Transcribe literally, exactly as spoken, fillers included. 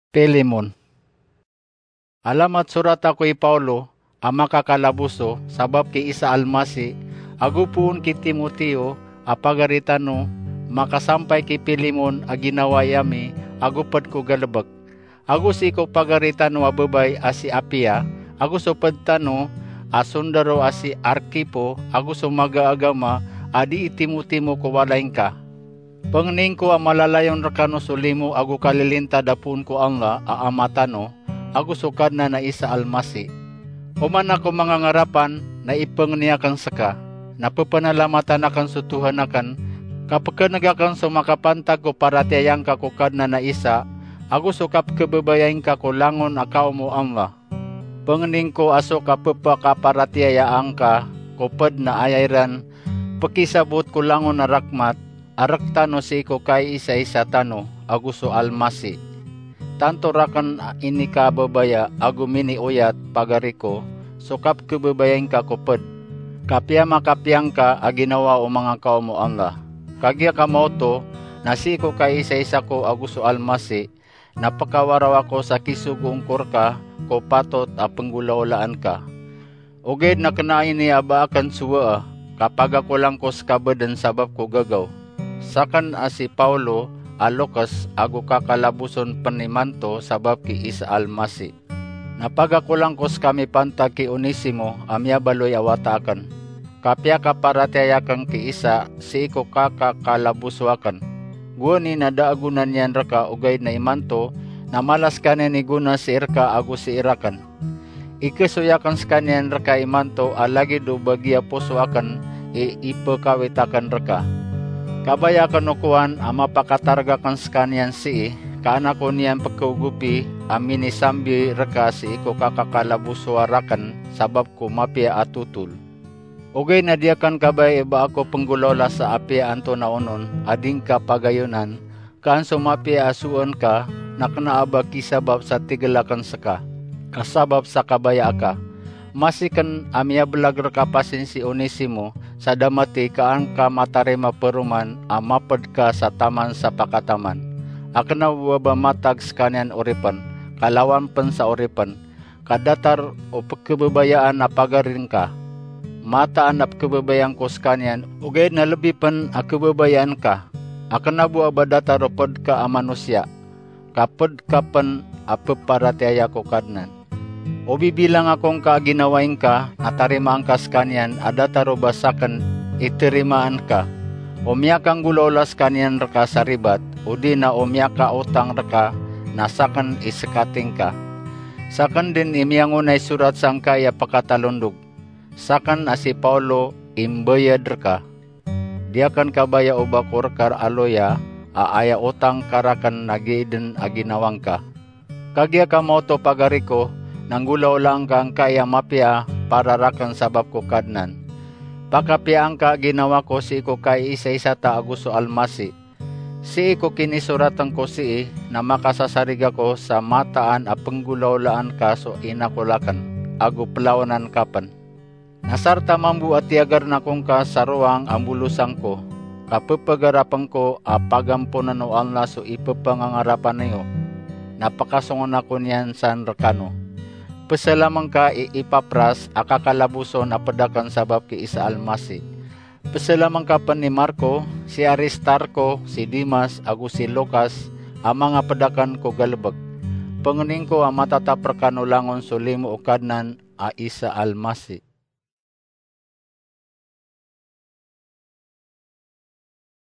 Pilemon. Alamat sorat ako i Pawlo a makakalaboso sabap ki Isa Almasi, ago poon ki Timoteo a pagari tano, makasampay ki Pilemon a ginawai ami ago pd ko galbk. Ago sii ko pagari tano a babay a si Apia, ago so pd tano a sondaro a si Arkipo, ago so maga a agama a dii timotimo ko walay ngka. Pangnin ko a malalayon rkano so limo ago kalilintad a poon ko Allah a Ama tano, ago so Kadnan a Isa Almasi. Oman ako manga ngarapan na ipangni akn ska, na ppanalamatan akn so Tuhan akn, ka pkneg akn so makapantag ko paratiyaya ngka ko Kadnan a Isa, ago so kapkhababayai ngka ko langon a kaom o Allah. Pangnin ko a so kapphakaparatiyayaan ka ko pd na aya iran pkisabot ko langon a rakhmat a rktano sii ko kaiisaisa tano ago so Almasi. Tanto rakn a inikababaya ago minioyat, pagari ko, so kapkhababayai ngka ko pd, ka piyamakapiya ngka a ginawa o manga kaom o Allah. Kagiya ka maoto na sii ko kaiisaisa ko ago so Almasi, na pkawaraw ako sa kisogoon ko rka ko patot a pnggolaolaan ka. Ogaid na kna ini a ba akn sowaa, ka pagakolang ko ska bdn sabap ko gagaw. Sakn a si Pawlo a lokes ago kakalaboson pn imanto sabap ki Isa Almasi. Na pagakolang ko ska mipantag ki Onesimo a miyabaloy a wata akn. Ka piyakaparatiyaya akn ki Isa sii ko kakakalaboso akn. Gowani na da a gona niyan rka, ogaid na imanto na mala skaniyan i gona sii rka ago sii rakn. Ikhasoy akn skaniyan rka imanto a lagid o bagiya poso akn i ipkhawit akn rka. Kabaya akn o kowan a mapakatarg akn skaniyan sii, ka an ako niyan pkhaogopi a minisambi rka sii ko kakakalabosoa rakn sabap ko mapiya a totol. Ogaid na di akn kabaya i ba ako pnggolaola sa apiya antonaa onon a di ngka pagayonan, ka an so mapiya a sowaan ka na kna a ba kisabap sa tigl akn ska, ka sabap sa kabaya aka. Masi kn a miyablag rka pasin si Onesimo sa da mathay, ka an ka matarima paroman a mapd ka sa taman sa pakataman, a kna bo a ba matag skaniyan oripn, ka lawan pn sa oripn, ka datar o pkhababayaan a pagari ngka. Mataan a pkhababayaan ko skaniyan, ogaid na lbi pn a khababayaan ka, a kna bo a ba datar o pd ka a manosiya, ka pd ka pn a pparatiyaya ko Kadnan. O bibilang ako ngka a ginawai ngka, na tarimaan ka skaniyan a datar o ba sakn i tarimaan ka. O miyakanggolaola skaniyan rka sa ribat, odi na o miyakaotang rka, na sakn i skati ngka. Sakn dn i miyangonay sorat sangkai a pakatalondog. Sakn a si Pawlo i mbayad rka. Di akn kabaya o ba ko rka a loya a aya otang ka rakn na giya dn a ginawa ngka. Kagiya ka maoto, pagari ko, na nggolaolaan ka angkai a mapiya para rakn sabap ko Kadnan. Pakapiyaan ka a ginawa ko sii ko kaiisaisa ta ago so Almasi. Sii ko kinisoratn ko sii na makasasarig ako sa mataan a pnggolaolaan ka so inakol akn, ago plawanan ka pn. Na sarta mambo a tiyagarn ako ngka sa rowang a mbolosan ko, ka pphagarapn ko a pagamponan o Allah so ipphangangarapan iyo, na pakasongon ako niyan san rkano. Pzalamn ka i Epapras a kakalaboson a pd akn sabap ki Isa Almasi. Pzalamn ka pn i Marko, si Aristarko, si Demas, ago si Lukas, a manga pd akn ko galbk. Pangnin ko a matatap rkano langon so limo o Kadnan a Isa Almasi.